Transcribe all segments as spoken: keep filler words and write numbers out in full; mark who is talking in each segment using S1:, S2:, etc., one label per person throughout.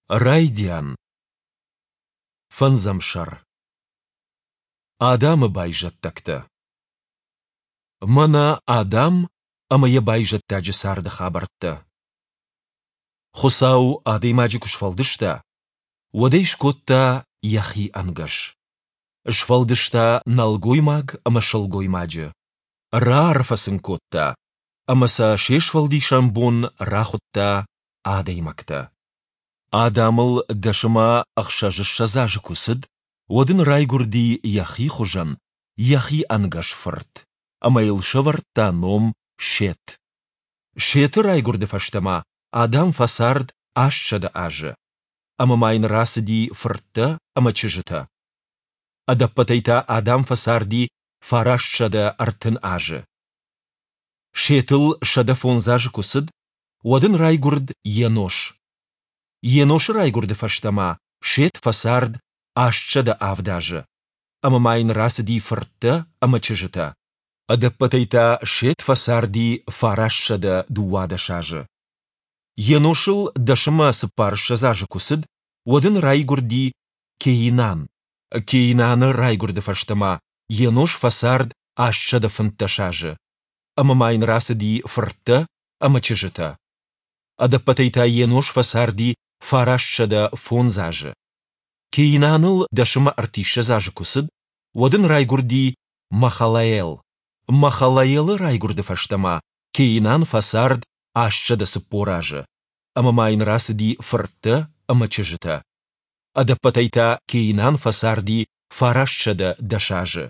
S1: Райдиан. Фӕндзӕм сӕр. Адамы байзӕддӕгтӕ. Мӕнӕ Адам ӕмӕ йӕ байзӕддаджы царды хабӕрттӕ. Хуыцау адӕймаджы куы сфӕлдыста, уӕд ӕй скодта йӕхи ӕнгӕс. Сфӕлдыста нӕлгоймаг ӕмӕ сылгоймаджы. Раарфӕ сын кодта ӕмӕ сӕ се сфӕлдисӕн бон рахуыдта адӕймӕгтӕ. Адамыл дӕс ӕмӕ ӕхсӕзыссӕдз азы куы цыд, уӕд ын райгуырди йӕхи хуызӕн, йӕхи ӕнгӕс фырт, ӕмӕ йыл сӕвӕрдта ном Сет. Сеты райгуырды фӕстӕ ма Адам фӕцард астсӕдӕ азы, ӕмӕ ма йын рацыди фырттӕ ӕмӕ чызджытӕ. Ӕдӕппӕтӕй та Адам фӕцарди фарастсӕдӕ ӕртын азы. Сетыл сӕдӕ фондз азы куы цыд, уӕд ын райгуырд Енош. Еношы райгуырды фӕстӕ ма Сет фӕцард астсӕдӕ авд азы, ӕмӕ ма йын рацыди фырттӕ ӕмӕ чызджытӕ. Ӕдӕппӕтӕй та Сет фӕцарди фарастсӕдӕ дыууадӕс азы. Еношыл дӕс ӕмӕ цыппарыссӕдз азы куы цыд, уӕд ын райгуырди Кеинан. Кеинаны райгуырды фӕстӕ ма Енош фӕцард астсӕдӕ фынддӕс азы, ӕмӕ ма йын рацыди фырттӕ ӕмӕ чызджытӕ. Ӕдӕппӕтӕй та Енош фӕцарди фарастсӕдӕ фондз азы. Кеинаныл дӕс ӕмӕ ӕртиссӕдз азы куы цыд, уӕд ын райгуырди Махалаел. Махалаелы райгуырды фӕстӕ ма Кеинан фӕцард астсӕдӕ цыппор азы, ӕмӕ ма йын рацыди фырттӕ ӕмӕ чызджытӕ. Ӕдӕппӕтӕй та Кеинан фӕцарди фарастсӕдӕ дӕс азы.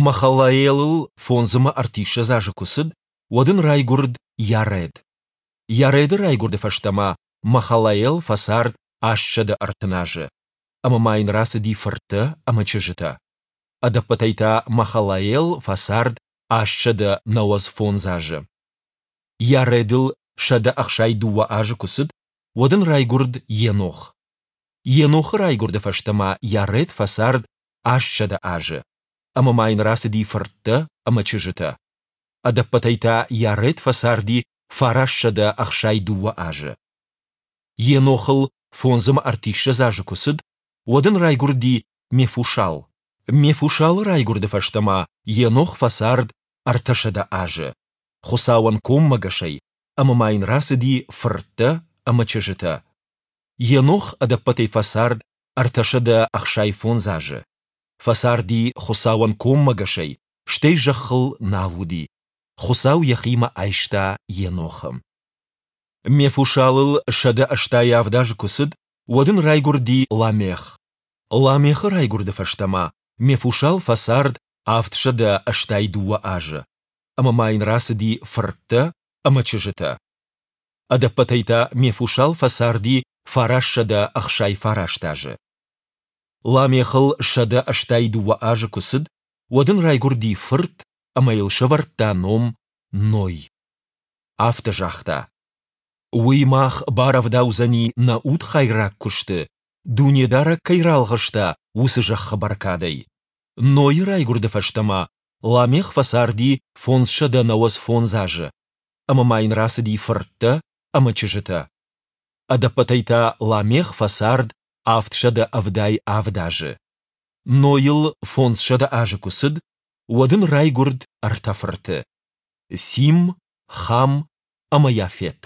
S1: Махалаелыл фондз ӕмӕ ӕртиссӕдз азы куы цыд, уӕд ын райгуырд Яред. Яреды райгуырды фӕстӕ ма Махалаел фӕцард астсӕдӕ ӕртын азы, ӕмӕ ма йын рацыди фырттӕ ӕмӕ чызджытӕ. Ӕдӕппӕтӕй та Махалаел фӕцард астсӕдӕ нӕуӕдз фондз азы. Яредыл сӕдӕ ӕхсай дыууӕ азы куы цыд, уӕд ын райгуырд Енох. Енохы райгуырды фӕстӕ ма Яред фӕцард астсӕдӕ азы, ӕмӕ ма йын рацыди фырттӕ ӕмӕ чызджытӕ. Ӕдӕппӕтӕй та Яред фӕцарди фарастсӕдӕ ӕхсай дыууӕ азы. Енохыл фондз ӕмӕ ӕртиссӕдз азы куы цыд, уӕд ын райгуырди Мефушал. Мефушалы райгуырды фӕстӕ ма Енох фӕцард ӕртӕсӕдӕ азы, Хуыцауӕн коммӕгӕсӕй, ӕмӕ ма йын рацыди фырттӕ ӕмӕ чызджытӕ. Енох ӕдӕппӕтӕй фӕцард ӕртӕсӕдӕ ӕхсай фондз азы. Фӕцарди Хуыцауӕн коммӕгӕсӕй, стӕй зӕххыл нал уыди. Хуыцау йӕхимӕ айста Енохы. Мефушалыл сӕдӕ ӕстай авд азы куы цыд, уӕд ын райгуырди Ламех. Ламехы райгуырды фӕстӕ ма Мефушал фӕцард авдсӕдӕ ӕстай дыууӕ азы, ӕмӕ ма йын рацыди фырттӕ ӕмӕ чызджытӕ. Ӕдӕппӕтӕй та Мефушал фӕцарди фарастсӕдӕ ӕхсай фараст азы. Ламехыл сӕдӕ ӕстай дыууӕ азы куы цыд, уӕд ын райгуырди фырт ӕмӕ йыл сӕвӕрдта ном Ной. Афтӕ загъта: Уый мах барӕвдаудзӕни нӕ удхайраг куысты, Дунедарӕг кӕй ралгъыста, уыцы зӕххы бӕркадӕй. Нойы райгуырды фӕстӕ ма Ламех фӕцарди фондзсӕдӕ нӕуӕдз фондз азы, ӕмӕ ма йын рацыди фырттӕ ӕмӕ чызджытӕ. Ӕдӕппӕтӕй та Ламех фӕцард авдсӕдӕ ӕвдай авд азы. Нойыл фондзсӕдӕ азы куы цыд, уӕд ын райгуырд ӕртӕ фырты: Сим, Хам ӕмӕ Яфет.